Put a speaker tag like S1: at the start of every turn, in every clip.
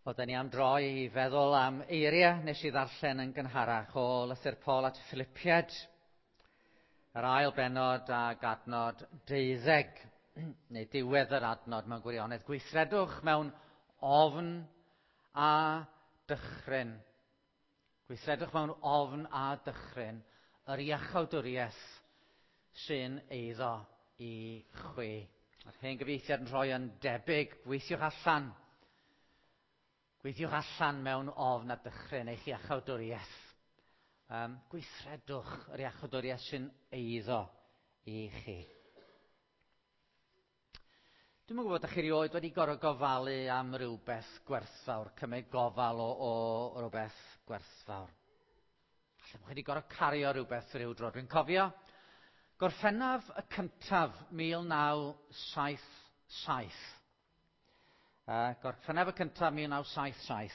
S1: Oedden ni am droi i feddwl am eiriau nes i ddarllen yn gynharach o lythyr Paul at Philippiaid, yr ail bennod ag adnod 12, neu diwedd yr adnod mewn gwirionedd. Gweithredwch mewn ofn a dychryn. Gweithredwch mewn ofn a dychryn yr iachawdwriaeth sy'n eiddo i chwi. Mae'r hen gyfieithiad yn rhoi yn debyg, gweithiwch allan. Gweithiwch allan mewn ofn a dychryn eich iachawdwriaeth. Gweithredwch yr iachawdwriaeth sy'n eiddo i chi. Dwi'm yn gwybod, ydych chi erioed wedi gorfod gofalu am rywbeth gwerthfawr, cymryd gofal o rywbeth gwerthfawr. Falle bod chi wedi gorfod cario rhywbeth rhyw dro. Dwi'n cofio Gorffennaf y cyntaf 1977. Gorffennaf y cyntaf 1977.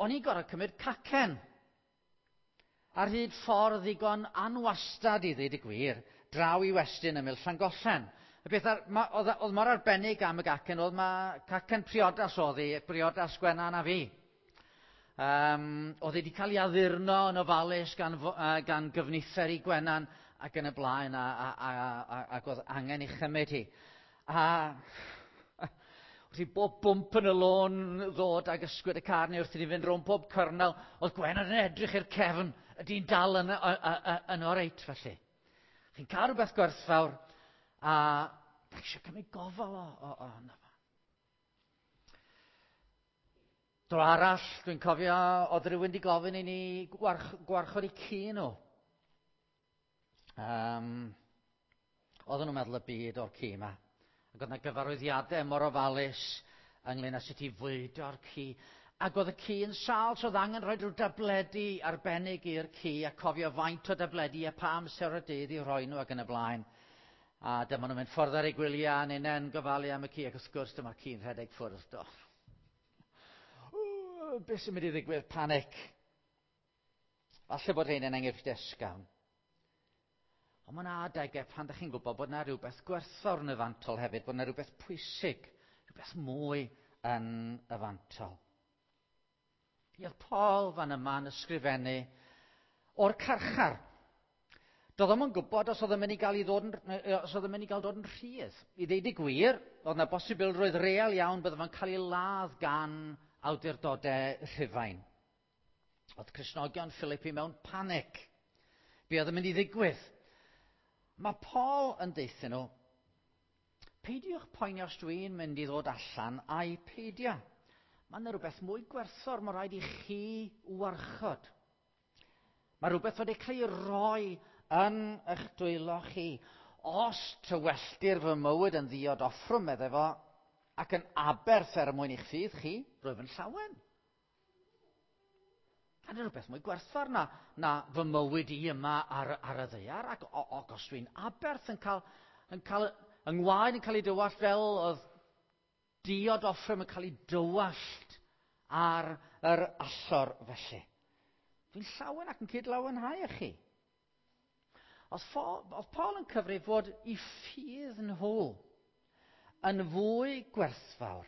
S1: O'n i'n gorfod cymryd cacen ar hyd ffordd ddigon anwastad i ddweud y gwir, draw i westyn ymyl Llangollen. Y peth ar, ma, oedd, oedd mor arbennig am y gacen oedd ma cacen priodas oedd hi, priodas Gwenan a fi. Oedd hi wedi cael ei addurno yn ofalus gan gyfnither i Gwenan ac yn y blaen, ac oedd angen ei chymryd hi. A wrth i bob bwmp yn y lôn ddod ag ysgwyd y car neu wrth i ni fynd rownd pob cyrnel, oedd Gwenan yn edrych i'r cefn, ydy'n dal yn oreit felly. Chi'n cael rhywbeth gwerthfawr a da chi eisiau cymryd gofal ohono fo. Dro arall, dwi'n cofio, oedd rhywun wedi gofyn i ni gwarchod eu ci nhw. Oedden nhw'n meddwl y byd o'r ci yma. Ac oedd yna gyfarwyddiadau mor ofalus ynglyn â sut i fwydo'r ci. Ac oedd y ci yn sâl, so oedd angen rhoi rhyw dabledi arbennig i'r ci a cofio faint o dabledi a pa amser o'r dydd i'w rhoi nhw ac yn y blaen. A dyma nhw'n mynd ffordd ar eu gwyliau a ninnau'n gofalu am y ci ac wrth gwrs dyma'r ci'n rhedeg ffwrdd. Do. Beth sy'n mynd i ddigwydd? Panic. Falle bod rhein yn enghreifftiau ysgafn. Ond mae yna adegau pan ydych chi'n gwybod bod yna rhywbeth gwerthfawr yn y fantol hefyd, bod yna rhywbeth pwysig, rhywbeth mwy yn y fantol. Oedd Paul fan yma yn ysgrifennu o'r carchar. Doedd o'm yn gwybod os oedd yn mynd i gael ei ddod yn, os oedd yn mynd i gael dod yn rhydd. I ddeud y gwir, oedd yna bosibilrwydd real iawn bydde fo'n cael ei ladd gan awdurdodau Rhufain. Oedd Cristnogion Philippi mewn panic. Be oedd yn mynd i ddigwydd? Mae Paul yn deuthyn nhw, peidiwch poeni os dwi'n mynd i ddod allan a'i peidio. Mae yna rhywbeth mwy gwerthfawr, mae rhaid i chi warchod. Mae rhywbeth wedi cael ei roi yn eich dwylo chi. Os tywelltir fy mywyd yn ddiod offrwm, meddai fo, ac yn aberth er mwyn i'ch ffydd chi, rwyf yn llawen. A yna rhywbeth mwy gwerthfawr na fy mywyd i yma ar y ddaear, ac os dwi'n aberth yn cael, yng ngwaed yn cael ei dywallt fel oedd diod offrwm yn cael ei dywallt ar yr allor felly. Dwi'n llawen ac yn cyd-lawenhau â chi. Oedd Paul yn cyfrif fod i ffydd nhw yn fwy gwerthfawr.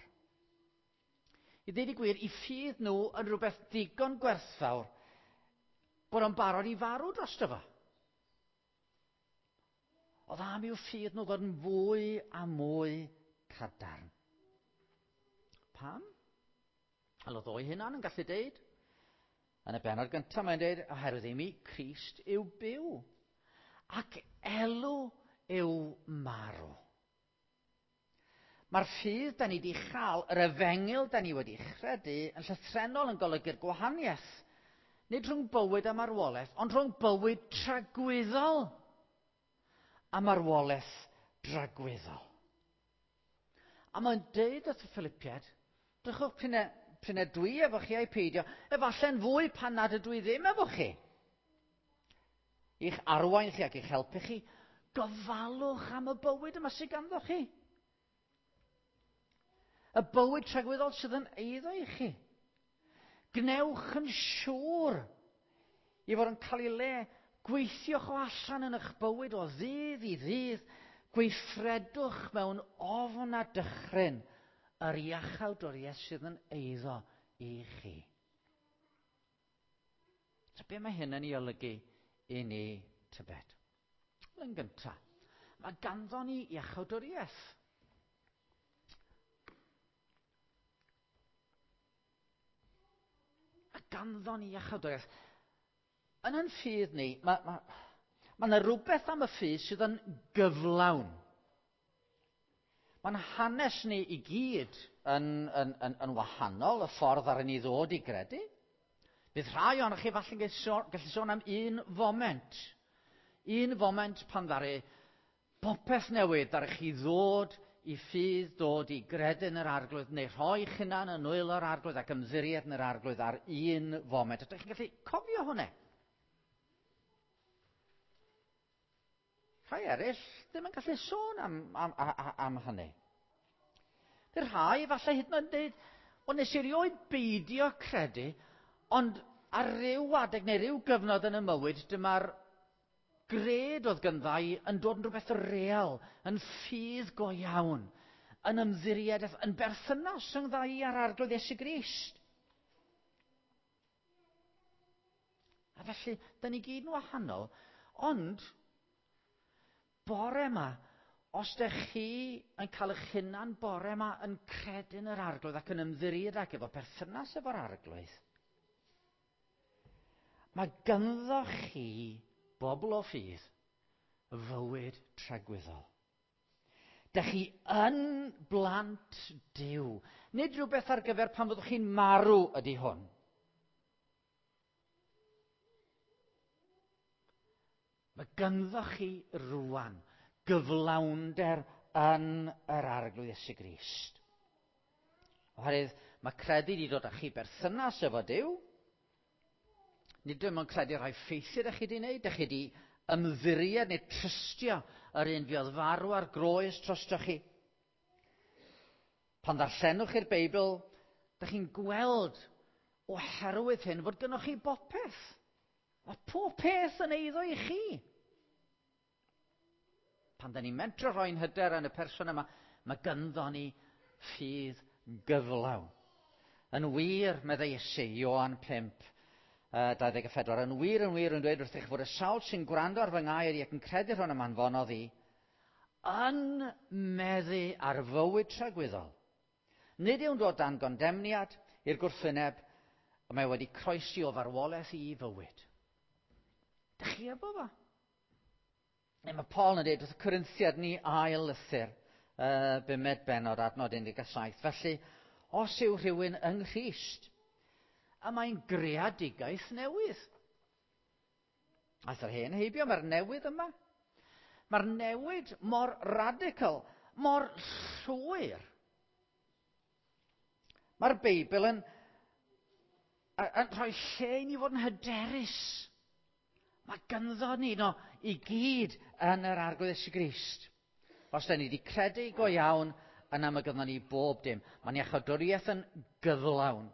S1: I ddweud y gwir, i ffydd nhw yn rhywbeth digon gwerthfawr bod o'n barod i farw drosto fo. Oedd am i'w ffydd nhw ddod yn fwy a mwy cadarn. Pam? Wel, oedd o'i hunan yn gallu deud. Yn y bennod gyntaf mae'n deud, oherwydd i mi, Crist yw byw, ac elw yw marw. Mae'r ffydd da ni wedi chael, yr efengyl da ni wedi chredu, yn llythrennol yn golygu'r gwahaniaeth. Nid rhwng bywyd a marwolaeth, ond rhwng bywyd tragwyddol a marwolaeth dragwyddol. A mae'n deud wrth y Philippiaid, drychwch p'un e dwi efo chi a'i peidio, efallai'n fwy pan nad ydw i ddim efo chi. I'ch arwain chi ac i'ch helpu chi, gofalwch am y bywyd yma sydd ganddo chi. Y bywyd tragwyddol sydd yn eiddo i chi. Gwnewch yn siŵr i fod yn cael ei le. Gweithiwch o allan yn eich bywyd o ddydd i ddydd. Gweithredwch mewn ofn a dychryn yr iachawdwriaeth sydd yn eiddo i chi. So be mae hyn yn ei olygu i ni tybed? Yn gyntaf, mae ganddo ni iachawdwriaeth. Mae ganddo ni iachawdwriaeth. Yn ein ffydd ni, mae ma, ma yna rhywbeth am y ffydd sydd yn gyflawn. Mae'n hanes ni i gyd yn wahanol, y ffordd ar ni ddod i gredu. Bydd rhai ohonoch chi falle'n gallu sôn am un foment. Un foment pan ddaru popeth newid, ddaru chi ddod i ffydd, dod i gredu yn yr Arglwydd, neu rhoi eich hunan yn nwylo'r Arglwydd ac ymddiried yn yr Arglwydd ar un foment. Ydych chi'n gallu cofio hwnna? Rhai eraill ddim yn gallu sôn am hynny. Bydd rhai falle hyd yn oed yn dweud, o nes i erioed beidio credu, ond ar ryw adeg neu ryw gyfnod yn y mywyd, dyma'r gred oedd gynddau yn dod yn rhywbeth real, yn ffydd go iawn, yn ymddiried, yn berthynas rhyngddau â'r Arglwydd Iesu Grist. A felly, da ni gyd yn wahanol, ond bore yma, os dych chi yn cael eich hunan bore yma yn credu yn yr Arglwydd ac yn ymddiried ac efo perthynas efo'r Arglwydd, mae ganddo chi bobl o ffydd fywyd tragwyddol. Dych chi yn blant Duw. Nid rhywbeth ar gyfer pan fyddwch chi'n marw ydy hwn. Mae ganddo chi rwan gyflawnder yn yr Arglwydd Iesu Grist. Oherwydd mae credu wedi dod â chi berthynas efo Duw. Nid dim ond credu rhai ffeithiau ydych chi wedi wneud, ydych chi wedi ymddiried neu trystio yr un fuodd farw ar groes drostoch chi. Pan ddarllenwch chi'r Beibl, ydych chi'n gweld oherwydd hyn fod gynnwch chi bopeth. Mae pob peth yn eiddo i chi. Pan da ni'n mentro rhoi'n hyder yn y person yma, mae gynddo ni ffydd gyflawn. Yn wir, meddai Iesu, Ioan 5, 24, yn wir, yn wir, yn dweud wrthych fod y sawl sy'n gwrando ar fy ngair i ac yn credu'r hwn y anfonodd i, yn meddu ar fywyd tragwyddol. Nid yw'n dod dan gondemniad i'r gwrthwyneb, ond mae wedi croesi o farwolaeth i fywyd. Dych chi efo fo? Neu mae Paul yn dweud wrth y Corinthiad ni ail lythyr, bumed bennod, adnod 17. Felly, os yw rhywun yng Nghrist, a mae'n greadigaeth newydd. Aeth yr hen heibio, mae'r newydd yma. Mae'r newid mor radical, mor llwyr. Mae'r Beibl yn rhoi lle i ni fod yn hyderus. Mae ganddo ni no i gyd yn yr Arglwydd Iesu Grist. Os da ni wedi credu go iawn, yna mae ganddo ni bob dim. Mae'n iachawdwriaeth yn gyflawn,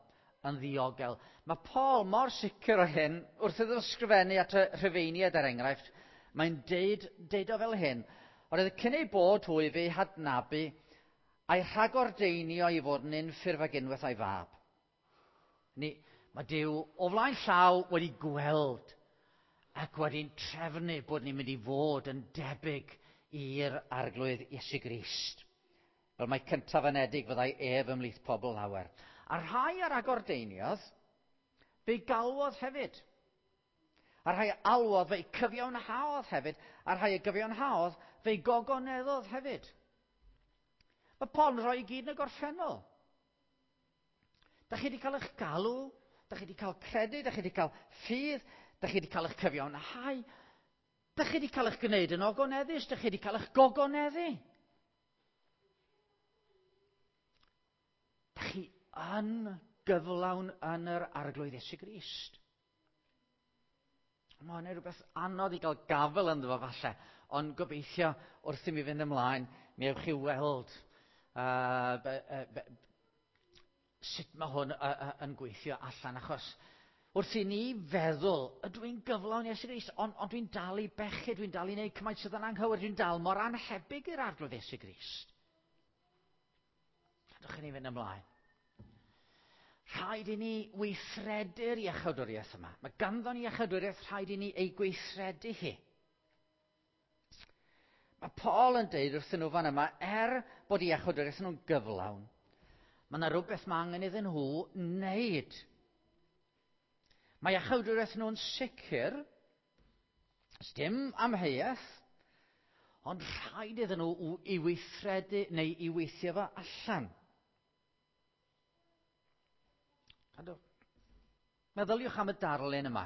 S1: yn ddiogel. Mae Paul mor sicr o hyn, wrth iddo ysgrifennu at y Rhufeiniaid er enghraifft, mae'n deud o fel hyn, oherwydd cyn ei bod hwy fe'i hadnabu a'i rhagordeinio i fod yn unffurf ag unwaith a'i fab. Mae Duw o flaen llaw wedi gweld ac wedi'n trefnu bod ni'n mynd i fod yn debyg i'r Arglwydd Iesu Grist. Fel mae cyntaf anedig fyddai ef ymhlith pobl lawer. A rhai ar agordeiniodd, fe'i galwodd hefyd. A rhai alwodd, fe'i cyfiawnhaodd hefyd. A rhai y gyfiawnhaodd, fe'i gogoneddodd hefyd. Mae Paul yn rhoi i gyd yn y gorffennol. Da chi wedi cael eich galw, da chi wedi cael credu, da chi wedi cael ffydd, da chi wedi cael eich cyfiawnhau, da chi wedi cael eich gwneud yn ogoneddus, da chi wedi cael eich gogoneddu. Da chi yn gyflawn yn yr Arglwydd Iesu Grist. Mae hwnna'n rhywbeth anodd i gael gafel ynddo fo falle, ond gobeithio wrth i mi fynd ymlaen, mi ewch chi weld sut mae hwn yn gweithio allan, achos wrth i ni feddwl, ydw i'n gyflawn Iesu Grist, ond dwi'n dal i bechu, dwi'n dal i wneud cymaint sydd yn anghywir, dwi'n dal mor annhebyg i'r Arglwydd Iesu Grist. Gadwch i ni fynd ymlaen. Rhaid i ni weithredu'r iachawdwriaeth yma. Mae ganddo ni iachawdwriaeth, rhaid i ni ei gweithredu hi. Mae Paul yn deud wrthyn nhw fan yma, er bod iachawdwriaeth nhw'n gyflawn, mae yna rhywbeth mae angen iddyn nhw wneud. Mae iachawdwriaeth nhw'n sicr, dim amheuaeth, ond rhaid iddyn nhw i weithredu neu i weithio fo allan. Meddyliwch am y darlun yma.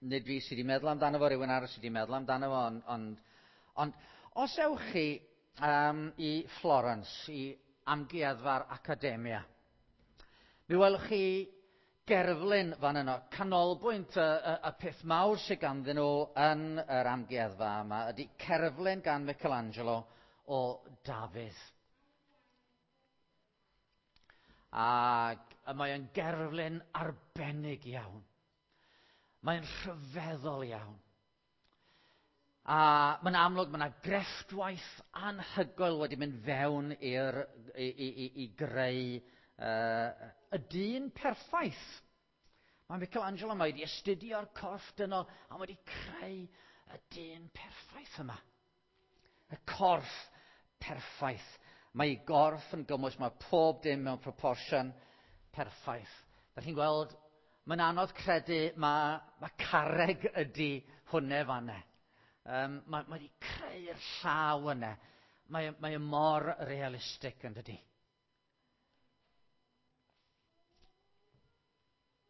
S1: Nid fi sydd wedi meddwl amdano fo, rhywun arall sydd wedi meddwl amdano fo, ond os ewch chi i Florence, i amgueddfa'r Academia, mi welwch chi gerflun fan yno. Canolbwynt y peth mawr sydd ganddyn nhw yn yr amgueddfa yma ydy cerflun gan Michelangelo o Dafydd. Ac mae o'n gerflun arbennig iawn. Mae'n rhyfeddol iawn. A mae'n amlwg mae yna grefftwaith anhygoel wedi mynd fewn i greu y dyn perffaith. Mae Michelangelo yma wedi astudio'r corff dynol a wedi creu y dyn perffaith yma. Y corff perffaith. Mae ei gorff yn gymwys, mae pob dim mewn proportion perffaith. Da chi'n gweld, mae'n anodd credu mae carreg ydy hwnne fanne. Mae wedi creu'r llaw yna. Mae mor realistig yn dydy.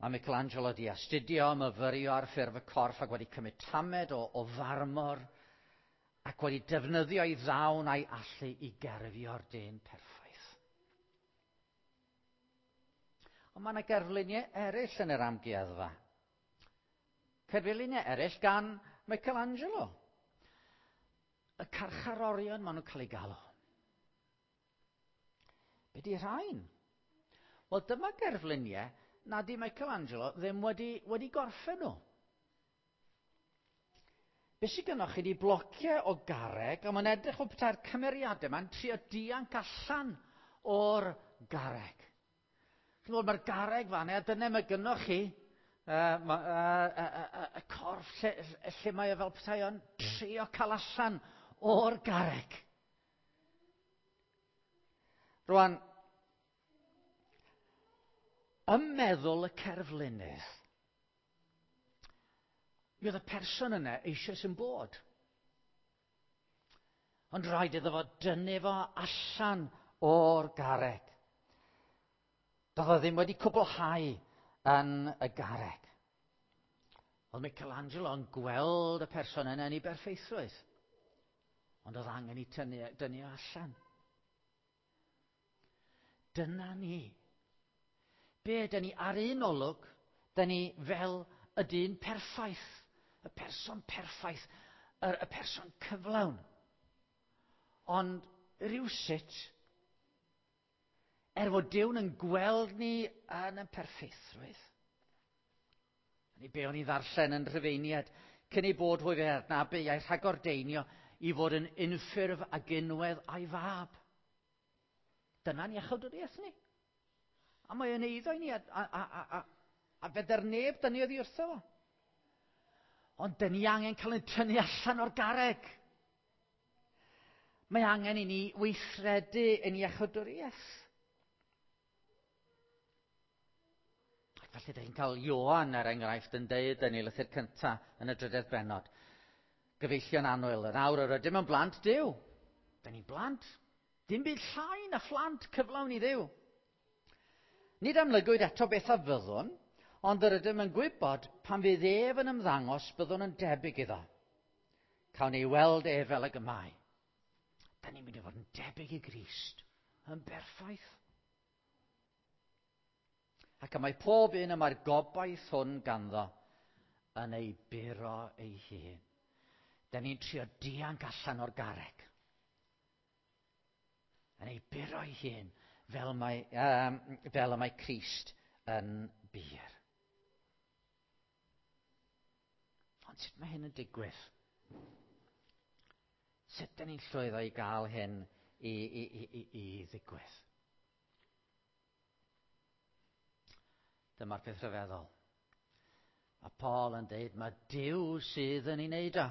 S1: Mae Michelangelo wedi astudio, myfyrio ar ffurf y corff ac wedi cymryd tamed o farmor ac wedi defnyddio ei ddawn a'i allu i gerfio'r dyn perffaith. Ond mae yna gerfluniau eraill yn yr amgueddfa. Cerfluniau eraill gan Michelangelo. Y carcharorion maen nhw'n cael eu galw. Be di rhain? Wel, dyma gerfluniau nad di Michelangelo ddim wedi gorffen nhw. Be sydd gynnoch chi di blociau o garreg, a mae'n edrych fel petai'r cymeriadau yma'n trio dianc allan o'r garreg. Chi'n gwybod, mae'r garreg fan, a dyna mae gynnoch chi y corff lle mae o fel petai o'n trio cael allan o'r garreg. Rwan, ym meddwl y cerflunydd, mi oedd y person yna eisoes yn bod. Ond rhaid iddo fo dynnu fo allan o'r garreg. Doedd o ddim wedi cwblhau yn y garreg. Oedd Michelangelo yn gweld y person yna yn ei berffeithrwydd. Ond oedd angen i dynnu allan. Dyna ni. Be dyn ni ar un olwg, dyn ni fel y dyn perffaith, y person perffaith, y person cyflawn. Ond rhywsut, fod Duw yn gweld ni yn y perffeithrwydd. Ni be o'n i ddarllen yn Rhufeiniad, cyn ei bod hwy fe adnabu a'i rhagordeinio i fod yn unffurf ag unwedd a'i fab. Dyna'n iachawdwriaeth ni. A mae yn eiddo i ni a fedr neb dynnu oddi wrtho fo. Ond dyn ni angen cael ein tynnu allan o'r garreg. Mae angen i ni weithredu yn iachawdwriaeth. Ac felly dych chi'n cael Ioan, er enghraifft, yn deud yn ei lythyr cyntaf yn y drydedd bennod. Gyfeillion annwyl, yn awr yr ydym yn blant Duw. Dyn ni'n blant. Dim byd llai na phlant cyflawn i Dduw. Nid amlygwyd eto beth a fyddwn, ond yr ydym yn gwybod pan fydd ef yn ymddangos byddwn yn debyg iddo. Cawn ei weld ef fel ag y mae. Da ni'n mynd i fod yn debyg i Grist, yn berffaith. Ac y mae pob un y mae'r gobaith hwn ganddo yn ei buro ei hun. Da ni'n trio dianc allan o'r garreg. Yn ei buro ei hun fel y mae Crist yn bur. Ond sut mae hyn yn digwydd? Sut dyn ni'n llwyddo i gael hyn i ddigwydd. Dyma'r peth rhyfeddol. A Paul yn deud, mae Duw sydd yn ei wneud o.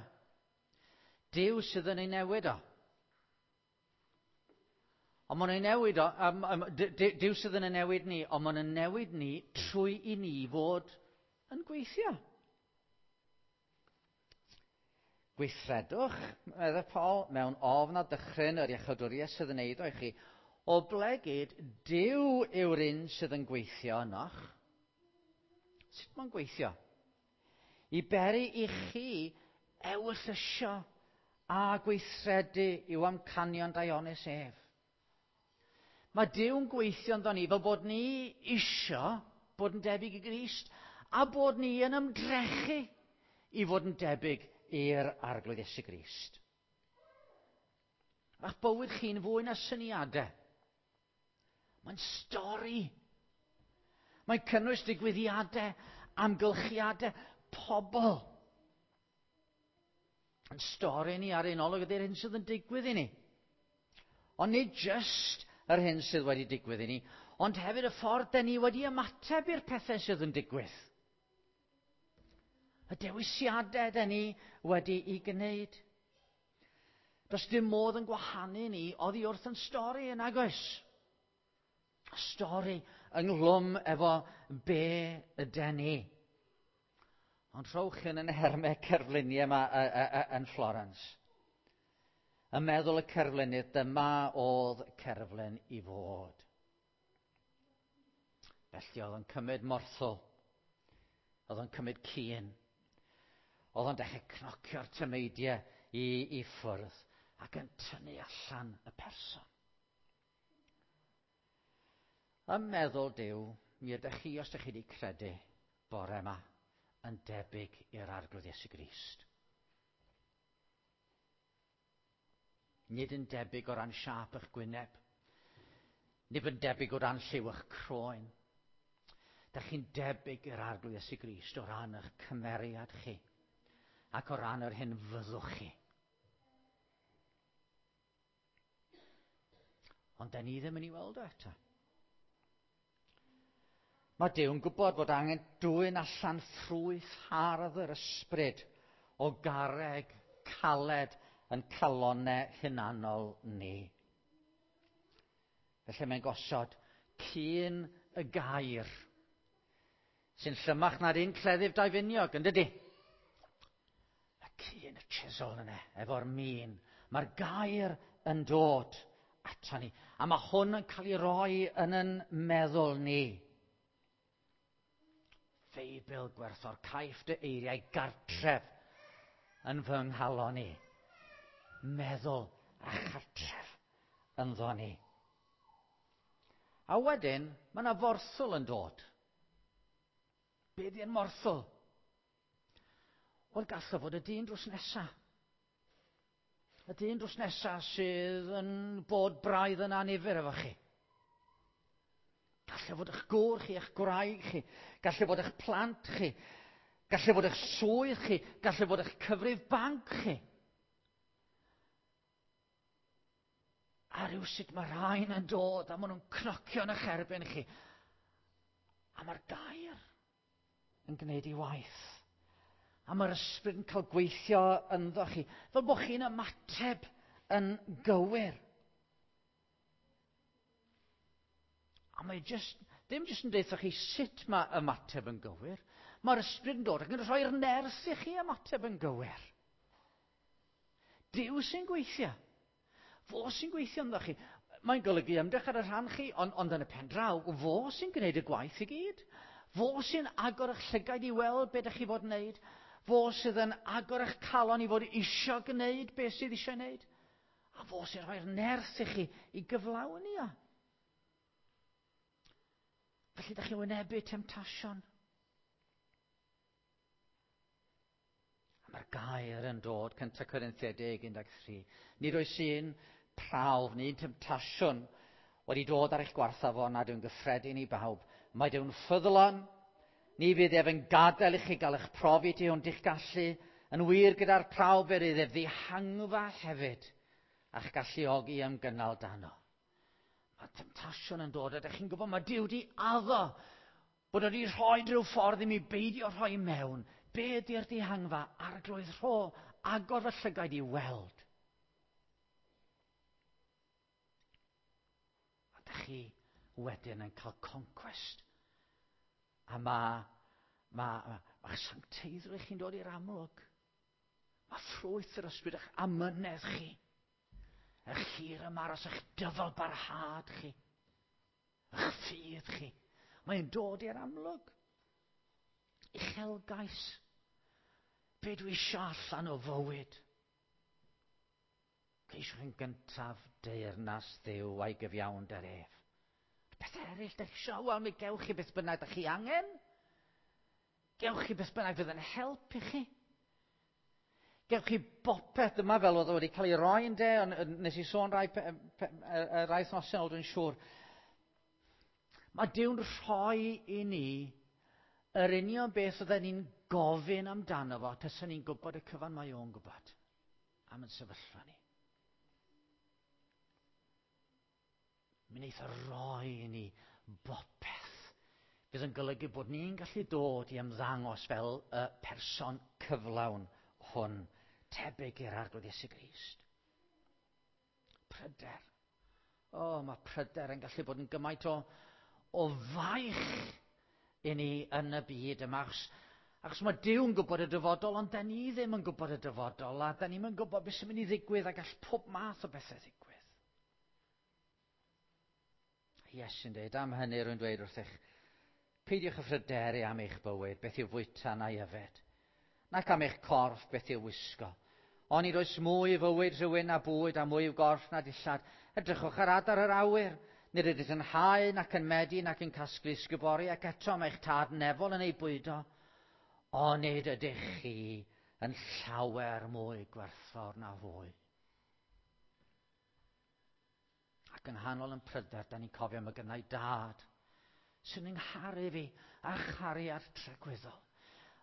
S1: Duw sydd yn ei newid o. Ond maen nhw'n newid o, Duw sydd yn ei newid ni, ond maen nhw'n newid ni trwy i ni fod yn gweithio. Gweithredwch, meddai Paul, mewn ofn a dychryn yr iachawdwriaeth sydd yn eiddo i chi, oblegid Duw yw'r un sydd yn gweithio ynoch. Sut mae'n gweithio? I beri i chi ewyllysio a gweithredu i'w amcanion daionus ef. Mae Duw'n gweithio ynddo ni fel bod ni isio bod yn debyg i Grist a bod ni yn ymdrechu i fod yn debyg i'r Arglwydd Iesu Grist. Mae'ch bywyd chi'n fwy na syniadau. Mae'n stori. Mae'n cynnwys digwyddiadau, amgylchiadau, pobl. Yn stori ni ar un olwg ydy'r hyn sydd yn digwydd i ni. Ond nid jyst yr hyn sydd wedi digwydd i ni, ond hefyd y ffordd den ni wedi ymateb i'r pethau sydd yn digwydd. Y dewisiadau den ni wedi'i gwneud. Does dim modd yn gwahanu ni oddi wrth yn stori yn agos. Stori ynghlwm efo be yden ni. Ond rhowch yn yn hermau cerfluniau yma yn Florence. Yn meddwl y cerflunydd, dyma oedd cerflun i fod. Felly oedd yn cymryd morthwl. Oedd yn cymryd cyn. Oedd o'n dechrau cnocio'r tymeidiau i ffwrdd ac yn tynnu allan y person. Yn meddwl Duw, mi ydych chi, os ydych chi wedi credu bore yma, yn debyg i'r Arglwydd Iesu Grist. Nid yn debyg o ran siâp eich gwyneb. Nid yn debyg o ran lliw eich croen. Dych chi'n debyg i'r Arglwydd Iesu Grist o ran eich cymeriad chi ac o ran yr hyn fyddwch chi. Ond da ni ddim yn ei weld o eto. Mae Duw'n gwybod bod angen dwyn allan ffrwyth hardd yr ysbryd o garreg caled yn calonnau hunanol ni. Felly mae'n gosod cyn y gair sy'n llymach na'r un cleddyf daufiniog, yn dydy? Y cyn y chisel yna, efo'r min. Mae'r gair yn dod ato ni. A mae hwn yn cael ei roi yn yn meddwl ni. Feibl gwerthfawr, caiff dy eiriau gartref yn fy nghalon i. Meddwl a chartref ynddo ni. A wedyn, mae yna forthwl yn dod. Be di'n morthwl? Wel, gallai fod y dyn drws nesa. Y dyn drws nesa sydd yn bod braidd yn annifyr efo chi. Gallai fod eich gŵr chi, eich gwraig chi. Gallai fod eich plant chi. Gallai fod eich swydd chi. Gallai fod eich cyfrif banc chi. A rhywsut mae rhain yn dod a maen nhw'n cnocio yn eich erbyn chi. A mae'r gair yn gwneud ei waith. A mae'r ysbryd yn cael gweithio ynddo chi, fel bod chi'n ymateb yn gywir. A mae just, ddim jyst yn deutha chi sut mae ymateb yn gywir. Mae'r ysbryd yn dod ac yn rhoi'r nerth i chi ymateb yn gywir. Duw sy'n gweithio. Fo sy'n gweithio ynddo chi. Mae'n golygu ymdrech ar y rhan chi, ond, ond yn y pen draw, fo sy'n gwneud y gwaith i gyd. Fo sy'n agor eich llygaid i weld beth ydych chi fod yn wneud. Fo sydd yn agor eich calon i fod isio gwneud beth sydd eisiau gwneud. A fo sy'n rhoi'r nerth i chi i gyflawni o. Felly, ydych chi'n wynebu temtasiwn. A mae'r gair yn dod, 1 Corinthiaid 10, 13. Nid oes un prawf neu un temtasiwn wedi dod ar eich gwarthaf o nad yw'n gyffredin i bawb. Mae Duw'n ffyddlon, ni fydd ef yn gadael i chi gael eich profi tu hwnt i'ch gallu, yn wir gyda'r prawf fe rydd ef ddihangfa hefyd. a'ch galluogi ymgynnal dano. Mae temtasiwn yn dod, a ydych chi'n gwybod mae Duw di addo bod wedi rhoi rhyw ffordd i mi beidio rhoi mewn. Be ydy'r dihangfa? Arglwydd rho, agor fy llygaid i weld. A dych chi wedyn yn cael concwest. A mae ma, ma, ma sancteiddrwydd chi'n dod i'r amlwg. Mae ffrwyth yr ysbryd eich amynedd chi. Eich hir ymaros, eich dyfal barhad chi. Eich ffydd chi. Mae'n dod i'r amlwg. Uchelgais. Be dwi eisiau allan o fywyd? Ceisiwch yn gyntaf deyrnas Dduw a'i gyfiawnder ef. Peth eraill, da chi eisiau, wel, mi gewch chi beth bynnag da chi angen. Gewch chi beth bynnag fydd yn help i chi. Gewch chi bopeth yma fel oedd o wedi cael ei roi yn de, ond nes i sôn rai, pe, pe, rai wythnosau ôl dwi'n siŵr. Mae Duw'n rhoi i ni yr union beth oedden ni'n gofyn amdano fo, taswn ni'n gwybod y cyfan mae o'n gwybod am yn sefyllfa ni. Mi wneith o roi i ni bopeth fydd yn golygu bod ni'n gallu dod i ymddangos fel y person cyflawn hwn, tebyg i'r Arglwydd Iesu Grist. Pryder. O, oh, mae pryder yn gallu bod yn gymaint o, o faich i ni yn y byd yma. Achos, achos mae Duw'n gwybod y dyfodol, ond da ni ddim yn gwybod y dyfodol, a da ni'n gwybod beth sy'n mynd i ddigwydd, a gall pob math o bethau ddigwydd. Iesu'n dweud, am hynny rwy'n dweud wrthych, peidiwch â phryderu am eich bywyd, beth yw fwyta na'i yfed, nac am eich corff, beth yw wisgo. Onid oes mwy i fywyd rhywun na bwyd a mwy i'w gorff na dillad. Edrychwch ar adar yr awyr. Nid ydych yn hau nac yn medi nac yn casglu sgubori ac eto mae eich tad nefol yn ei bwydo. Onid ydych chi yn llawer mwy gwerthfawr na hwy. Ac yng nghanol yn pryder, da ni'n cofio mae gynnau dad sy'n yngharu fi a chariad tragwyddol.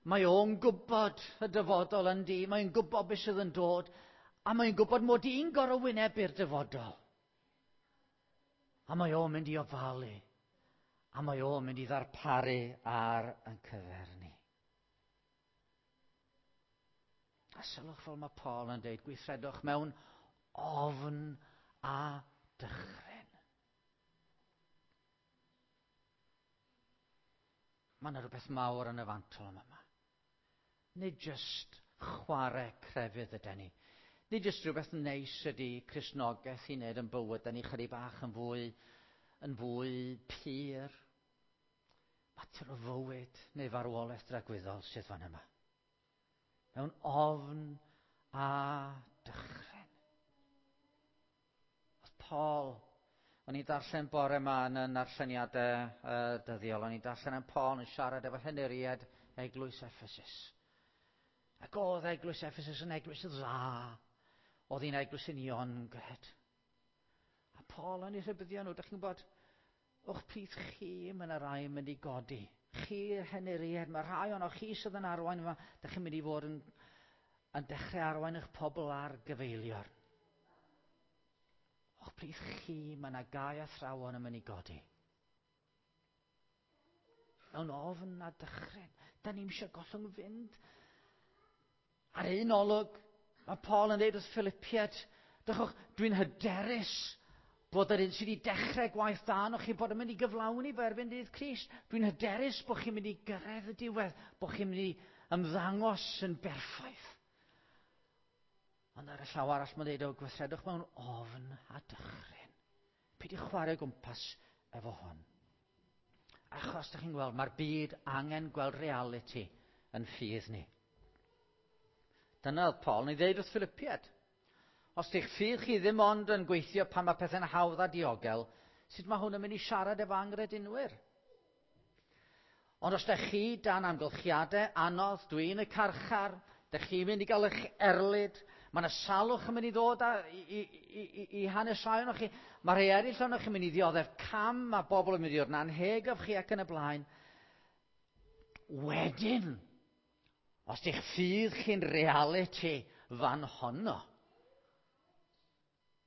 S1: Mae o'n gwybod y dyfodol yn di, mae'n gwybod beth sydd yn dod, a mae'n gwybod mod i'n gorfod wynebu'r dyfodol. A mae o'n mynd i ofalu, a mae o'n mynd i ddarparu ar yn cyfer ni. A sylwch fel mae Paul yn dweud, gweithredwch mewn ofn a dychryn. Mae yna rhywbeth mawr yn y fantol yma. Nid jyst chwarae crefydd ydy ni. Nid jyst rhywbeth neis ydy Cristnogaeth i wneud yn bywyd, da ni chydig bach yn fwy, yn fwy pur. Mater o fywyd neu farwolaeth dragwyddol sydd fan yma. Mewn ofn a dychryn. Oedd Paul, o'n i'n darllen bore yma yn y narlleniadau uh, dyddiol, o'n i'n darllen am Paul yn siarad efo henuriad Eglwys Ephesus. Ac oedd Eglwys Ephesus yn eglwys dda. Oedd hi'n eglwys uniongred. A Paul yn ei rhybuddio nhw, dych chi'n gwybod, o'ch plith chi, mae yna rai yn mynd i godi. Chi'r henuriad, mae rhai o'n chi sydd yn arwain yma, dych chi'n mynd i fod yn, yn dechrau arwain eich pobl ar gyfeiliorn. O'ch plith chi, mae yna gau athrawon yn mynd i godi. Mewn ofn a dychryn. Da ni'n eisiau gollwng fynd. Ar un olwg, mae Paul yn dweud wrth Philippiad, dychwch, dwi'n hyderus bod yr un sydd wedi dechrau gwaith da arnoch chi bod yn mynd i gyflawni fe erbyn dydd Crist. Dwi'n hyderus bod chi'n mynd i gyrraedd y diwedd, bod chi'n mynd i ymddangos yn berffaith. Ond ar y llaw arall mae'n dweud o gweithredwch mewn ofn a dychryn. Peidiwch chwarae o gwmpas efo hwn. Achos, da chi'n gweld, mae'r byd angen gweld reality yn ffydd ni. Dyna oedd Paul yn ei ddeud wrth Philippiad. Os di'ch ffydd chi ddim ond yn gweithio pan mae pethau'n hawdd a diogel, sut mae hwn yn mynd i siarad efo angredinwyr? Ond os da chi dan amgylchiadau anodd, dwi'n y carchar, da chi'n mynd i gael eich erlid, mae yna salwch yn mynd i ddod a, i, i, i, i hanes rhai ohonoch chi, mae rhai eraill ohonoch chi'n mynd i ddioddef cam, mae bobl yn mynd i ddod yn anheg of chi ac yn y blaen. Wedyn, os di'ch ffydd chi'n reality fan honno,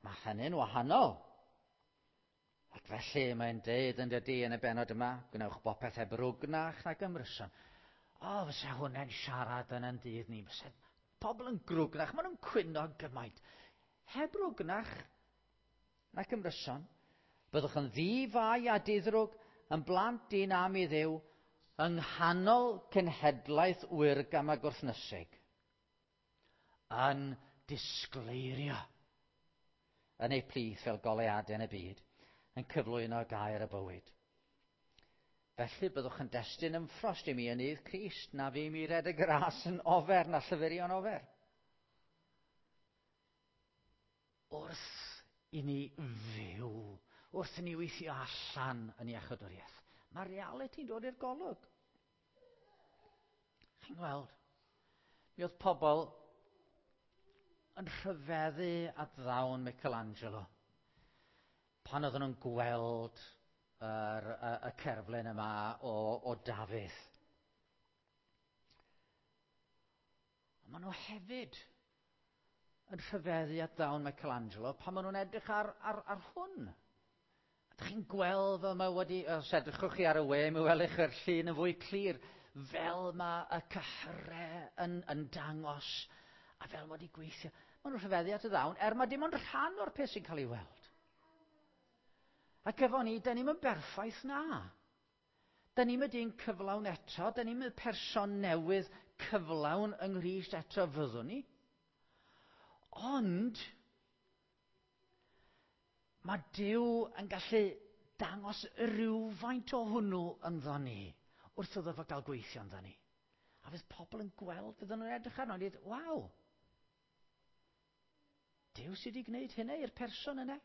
S1: Mae hynny'n wahanol. Ac felly mae'n deud yn dydy yn y benod yma, gwnewch bopeth heb rwgnach nag ymryson. O, fysa hwnna'n siarad yn yn dydd ni. Fysa pobl yn grwgnach, maen nhw'n cwyno gymaint. Heb rwgnach nac ymryson, byddwch yn ddi-fai a diddrwg, yn blant dyn am i Dduw, yng nghanol cenhedlaeth wyrgam a gwrthnysig, yn disgleirio yn eu plith fel goleuadau yn y byd, yn cyflwyno gair y bywyd. Felly byddwch yn destun ymffrost i mi yn nydd Crist, na fi mi redeg y ras yn ofer na llyfurio'n ofer. Wrth i ni fyw, wrth i ni weithio allan yn iachawdwriaeth, mae reality'n dod i'r golwg. Chi'n gweld, mi oedd pobl yn rhyfeddu at ddawn Michelangelo pan oedden nhw'n gweld yr, y, y cerflun yma o, o Dafydd. Ond maen nhw hefyd yn rhyfeddu at ddawn Michelangelo pan maen nhw'n edrych ar, ar, ar hwn. A ydych chi'n gweld fel mae wedi, os edrychwch chi ar y we, mi welwch chi'r llun yn fwy clir, fel mae y cyhyrau yn, yn dangos a fel mae wedi gweithio. Maen nhw'n rhyfeddu at y ddawn, er mae dim ond rhan o'r peth sy'n cael ei weld. Ac efo ni, da ni'm yn berffaith na. Da ni'm y dyn cyflawn eto, da ni'm y person newydd cyflawn yng Nghrist eto fyddwn ni. Ond, mae Duw yn gallu dangos rhywfaint o hwnnw ynddo ni wrth iddo fo gael gweithio ynddo ni. A fydd pobl yn gweld, fydden nhw'n edrych arno a dweud, waw, Duw sydd wedi gwneud hynna i'r person yna.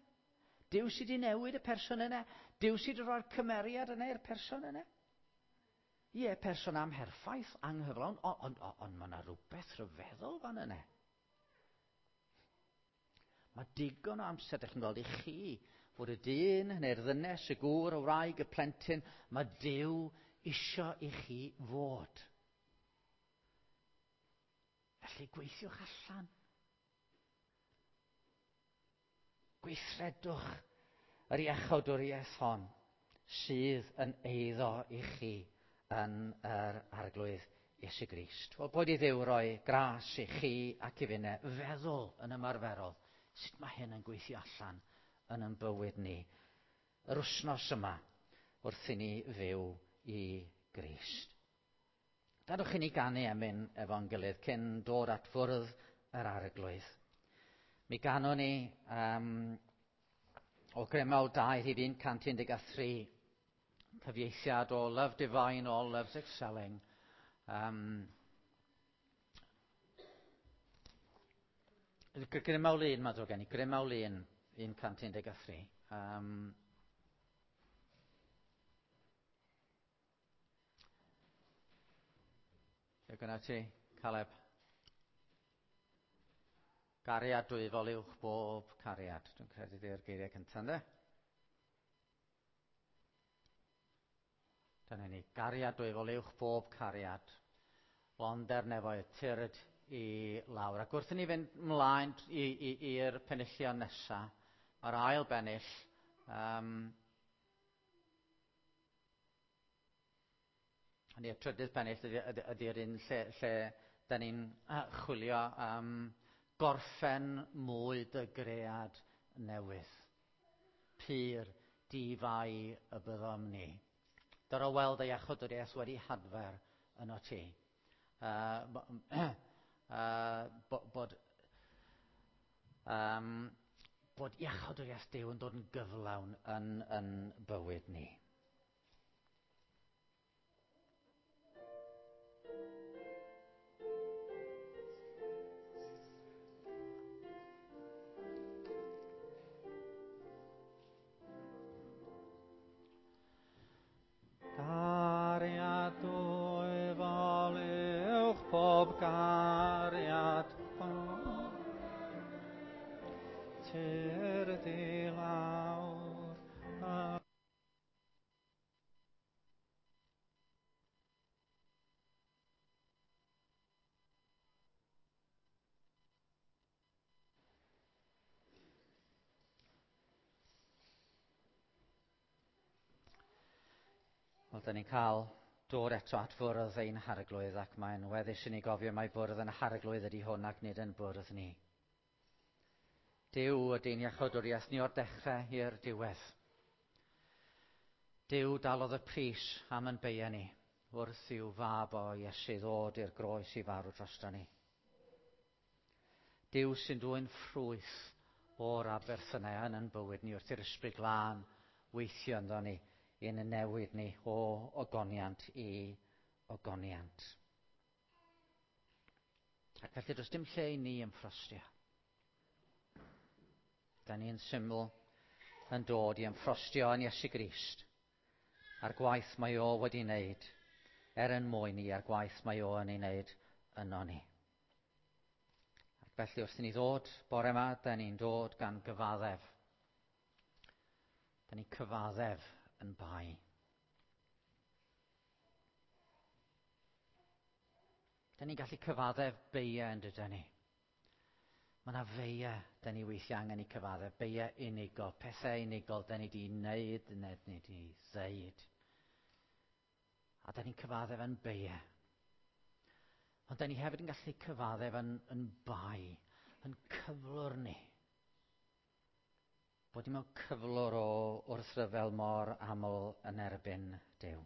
S1: Duw sydd wedi newid y person yna. Duw sydd wedi rhoi'r cymeriad yna i'r person yna. Ie, person amherffaith, anghyflawn, ond on, on, on mae yna rhywbeth rhyfeddol fan yna. Mae digon o amser, ydych chi'n gweld, i chi fod y dyn neu'r ddynes, y gŵr, y wraig, y plentyn, mae Duw isio i chi fod. Felly gweithiwch allan. Gweithredwch yr iachawdwriaeth hon sydd yn eiddo i chi yn yr Arglwydd Iesu Grist. Wel, boed i Dduw roi gras i chi ac i finne feddwl yn ymarferol sut mae hyn yn gweithio allan yn ein bywyd ni yr wythnos yma wrth i ni fyw i Grist. Gadwch i ni ganu emyn efo'n gilydd cyn dod at fwrdd yr Arglwydd. Mi ganwn ni um, o Grymawl 2 rhif 113, cyfieithiad o Love Divine, All Loves Excelling. Um, Grymawl 1, mae'n ddrwg gen i, Grymawl 1, 113. Um, Lle gyda ti, Caleb? Gariad dwyfol uwch bob cariad. Dwi'n credu di'r geiriau cyntaf, ynddo? Dyna ni. Gariad dwyfol uwch bob cariad. Londer nefoedd tyrd i lawr. Ac wrth i ni fynd mlaen i'r penillion nesaf, mae'r ail bennill, um, Hynny y trydydd pennill ydy'r ydy, ydy un lle, lle da ni'n chwilio am gorffen mwy dy gread newydd. Pur di-fai y byddom ni. Dyro weld ei iachawdwriaeth wedi hadfer yno ti. Uh, uh, bod, um, bod iachawdwriaeth Duw yn dod yn gyflawn yn, yn bywyd ni. Cariad dwyfol uwch pob cariad Tyrd i lawr. Wel, da ni'n cael dod eto at fwrdd ein harglwydd, ac mae'n weddus i ni gofio mai bwrdd yn harglwydd ydy hwn ac nid yn bwrdd ni. Duw ydy'n iachawdwriaeth ni o'r dechrau i'r diwedd. Duw dalodd y pris am yn beia ni wrth i'w fab o Iesu ddod i'r groes i farw drosto ni. Duw sy'n dwyn ffrwyth o'r aberthynau yn yn bywyd ni wrth i'r Ysbryd Glân weithio ynddo ni i'n newid ni o ogoniant i ogoniant. Ac felly does dim lle i ni ymffrostio. Da ni'n syml yn dod i ymffrostio yn Iesu Grist a'r gwaith mae o wedi wneud, er yn mwyn ni a'r gwaith mae o yn ei wneud yno ni. Ac felly wrth i ni ddod bore yma, da ni'n dod gan gyfaddef. Da ni'n cyfaddef yn bai. Da ni'n gallu cyfaddef beiau yn dydyn ni. Mae yna feiau da ni weithiau angen i cyfaddef, beiau unigol, pethau unigol da ni wedi wneud neu ni wedi ddeud. A da ni'n cyfaddef yn beiau. Ond da ni hefyd yn gallu cyfaddef yn bai, yn cyflwr ni. Bod ni mewn cyflwr o wrthryfel mor aml yn erbyn Duw.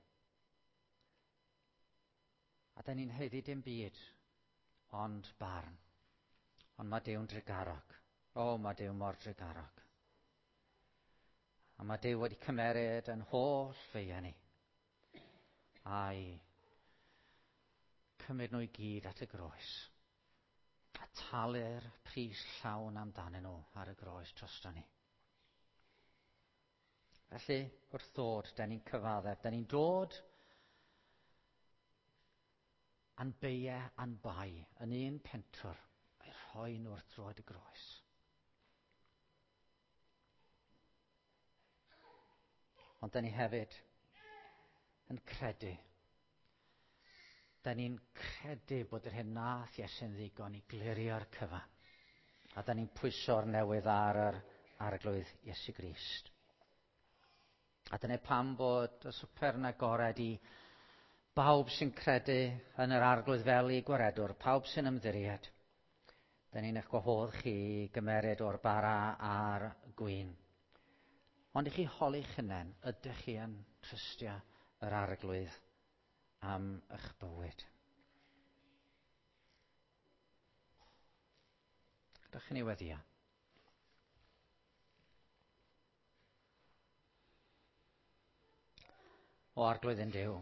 S1: A da ni'n haeddu dim byd, ond barn. Ond mae Duw'n drugarog. O, mae Duw mor drugarog. A mae Duw wedi cymeryd yn holl feiau ni. A'i cymryd nhw i gyd at y groes. A talu'r pris llawn amdanyn nhw ar y groes drosto ni. Felly, wrth ddod, da ni'n cyfaddef. Da ni'n dod a'n beiau a'n bai yn un pentwr a'i rhoi nhw wrth droed y groes. Ond da ni hefyd yn credu. Da ni'n credu bod yr hyn nath Iesu'n ddigon i glirio'r cyfan. A da ni'n pwyso'r newydd ar yr Arglwydd Iesu Grist. A dyna pam bod y swper yn agored i bawb sy'n credu yn yr Arglwydd fel i gwaredwr, pawb sy'n ymddiried. Da ni'n eich gwahodd chi i gymeryd o'r bara a'r gwin. Ond i chi holi'ch hunain, ydych chi yn trystio yr Arglwydd am eich bywyd? Ydych chi'n ei weddio? O Arglwydd yn Duw,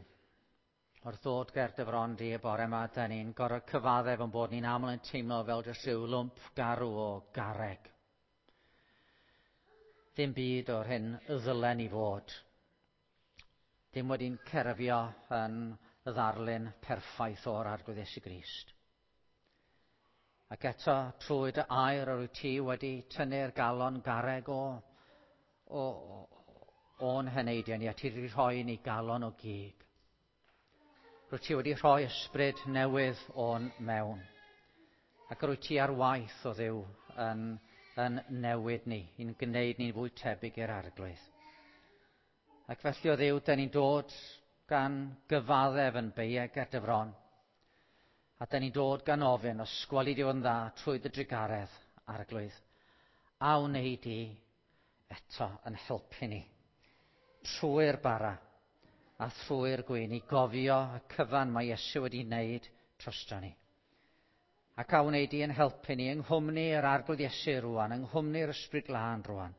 S1: wrth ddod ger dy fron di y bore yma, da ni'n gorfod cyfaddef yn bod ni'n aml yn teimlo fel jyst rhyw lwmp garw o garreg. Dim byd o'r hyn ddylen ni fod. Dim wedi'n cerfio yn y ddarlun perffaith o'r Arglwydd Iesu Grist. Ac eto, trwy dy air yr wyt ti wedi tynnu'r galon garreg o'n heneidiau ni, a ti wedi rhoi ni galon o gig. Rwyt ti wedi rhoi ysbryd newydd o'n mewn. Ac rwyt ti ar waith o Dduw yn newid ni, i'n gwneud ni'n fwy tebyg i'r Arglwydd. Ac felly o Dduw, da ni'n dod gan gyfaddef yn beiau ger dy fron. A da ni'n dod gan ofyn, os gweli di fod yn dda trwy dy drugaredd, Arglwydd, a wnei di eto yn helpu ni trwy'r bara a thrwy'r gwin i gofio y cyfan mae Iesu wedi wneud drosto ni. Ac a wnei di yn helpu ni yng nghwmni yr Arglwydd Iesu rwan, yng nghwmni'r Ysbryd Glân rwan,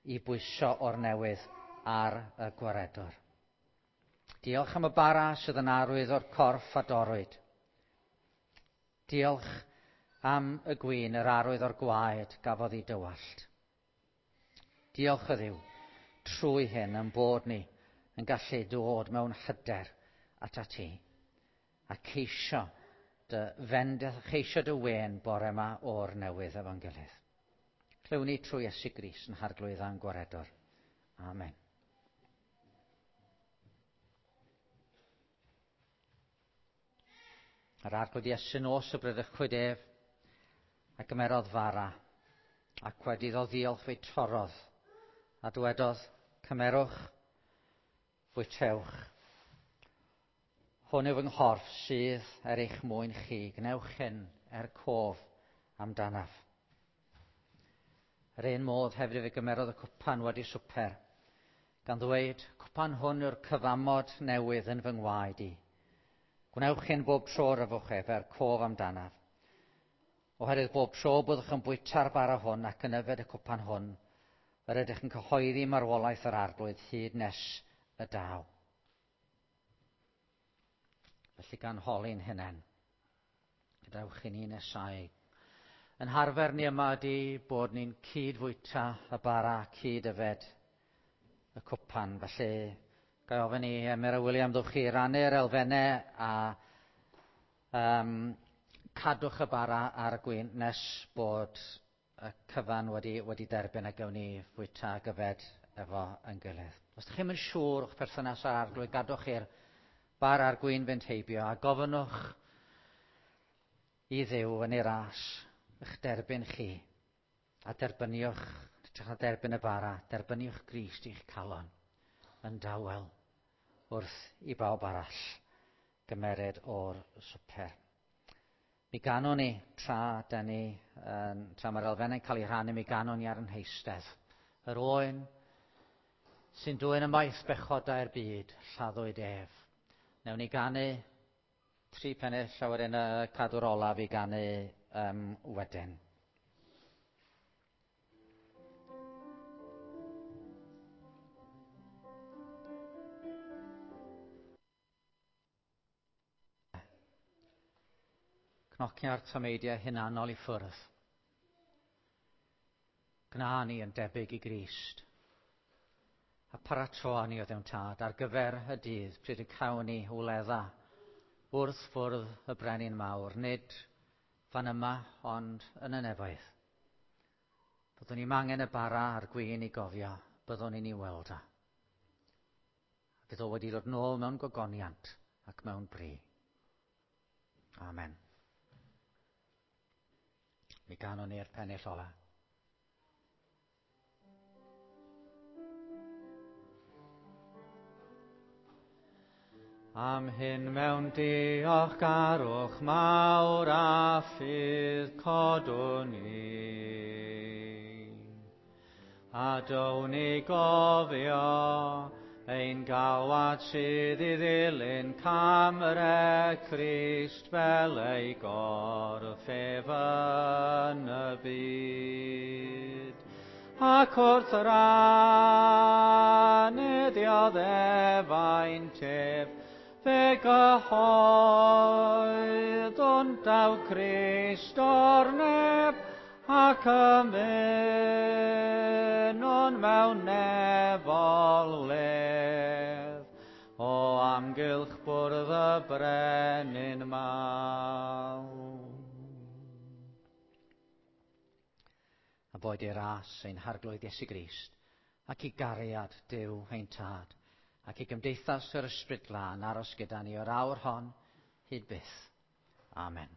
S1: i bwyso o'r newydd ar y gwaredwr. Diolch am y bara sydd yn arwydd o'r corff a dorrwyd. Diolch am y gwin, yr arwydd o'r gwaed gafodd ei dywallt. Diolch o Dduw, trwy hyn yn bod ni yn gallu dod mewn hyder atat ti a ceisio dy fendith, ceisio dy wên bore yma o'r newydd efo'n gilydd. Clywn ni trwy Iesu Grist yn Harglwydd a'n Gwaredwr. Amen. Yr Arglwydd Iesu nos y bradychwyd ef a gymerodd fara, ac wedi iddo ddiolch fe'i torrodd, a dywedodd, cymerwch, fwytewch. Hwn yw fy nghorff sydd er eich mwyn chi. Gwnewch hyn er cof amdanaf. Yr un modd hefyd fe gymerodd y cwpan wedi swper, gan ddweud, cwpan hwn yw'r cyfamod newydd yn fy ngwaed i. Gwnewch hyn bob tro yr yfwch ef er cof amdanaf. Oherwydd bob tro byddwch yn bwyta'r bara hwn ac yn yfed y cwpan hwn, yr ydych yn cyhoeddi marwolaeth yr Arglwydd hyd nes y daw. Felly gan holi'n hunain, gadewch i ni nesau. Yn harfer ni yma ydy bod ni'n cyd-fwyta y bara, cyd-yfed y cwpan. Felly, ga i ofyn i Emyr a William, ddwch chi rannu'r elfennau a cadwch y bara a'r gwin nes bod y cyfan wedi derbyn a gawn ni fwyta ac yfed efo yn gilydd. Os ydych chi'm yn siŵr o'ch perthynas â'r Arglwydd, gadwch i'r bara a'r gwin fynd heibio a gofynnwch i Dduw yn ei ras eich derbyn chi a derbyniwch, hytrach na derbyn y bara, derbyniwch Grist i'ch calon yn dawel wrth i bawb arall gymered o'r swper. Mi ganwn ni tra da ni, tra mae'r elfennau'n cael ei rhannu, mi ganwn ni ar yn heistedd. Yr oen sy'n dwyn ymaith bechodau'r byd, lladdwyd ef. Newn ni ganu 3 pennill, a wedyn y cadw'r olaf i ganu wedyn. Cnocia'r tameidiau hunanol i ffwrdd. Gwna ni yn debyg i Grist. A paratoa ni o Dduw Tad ar gyfer y dydd pryd y cawn ni wledda wrth fwrdd y Brenin Mawr, nid fan yma, ond yn y nefoedd. Byddwn ni'n angen y bara a'r gwin i gofio, byddwn ni'n ei weld o. A bydd o wedi dod nôl mewn gogoniant ac mewn bri. Amen. Mi ganwn ni'r pennill ola. Am hyn mewn diolchgarwch mawr a ffydd codwn ni. A down i gofio ein galwad sydd i ddilyn cam yr Crist fel ei gorff ef yn y byd. Ac wrth rannu dioddefaint ef, fe gyhoeddwn daw Crist o'r nef, ac ymunwn mewn nefol wledd, o amgylch bwrdd y Brenin mawr. A boed i'r ras ein Harglwydd Iesu Grist, ac i gariad Duw ein Tad, ac i gymdeithas yr Ysbryd Glân aros gyda ni o'r awr hon hyd byth. Amen.